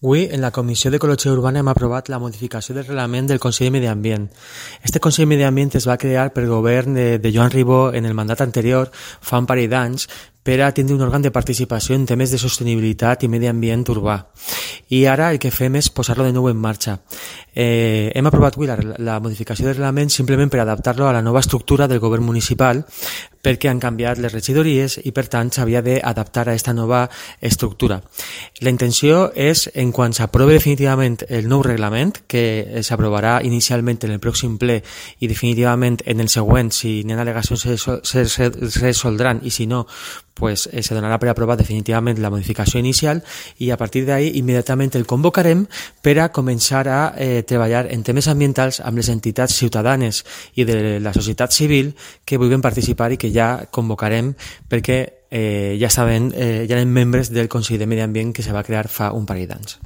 Avui, en la Comissió d'Ecologia Urbana hem aprovat la modificació del reglament del Consell de Medi Ambient. Este Consell de Medi Ambient es va crear pel govern de Joan Ribó en el mandat anterior, fa un parell d'anys, per a tindre un òrgan de participació en temes de sostenibilitat i medi ambient urbà. I ara el que fem és posar-lo de nou en marxa. Hem aprovat avui la modificació del reglament simplement per adaptar-lo a la nova estructura del govern municipal, perquè han canviat les regidories i per tant s'havia d'adaptar a aquesta nova estructura. La intenció és, en quan s'aprovi definitivament el nou reglament, que s'aprovarà inicialment en el pròxim ple i definitivament en el següent, si n'hi ha al·legacions se resoldran i si no, pues se donarà per aprovat definitivament la modificació inicial i a partir d'ahí immediatament el convocarem per a començar a treballar en temes ambientals amb les entitats ciutadanes i de la societat civil que vulguin participar i que ja convocarem perquè ja saben, ja eren membres del Consell de Medi Ambient que se va crear fa un parell d'anys.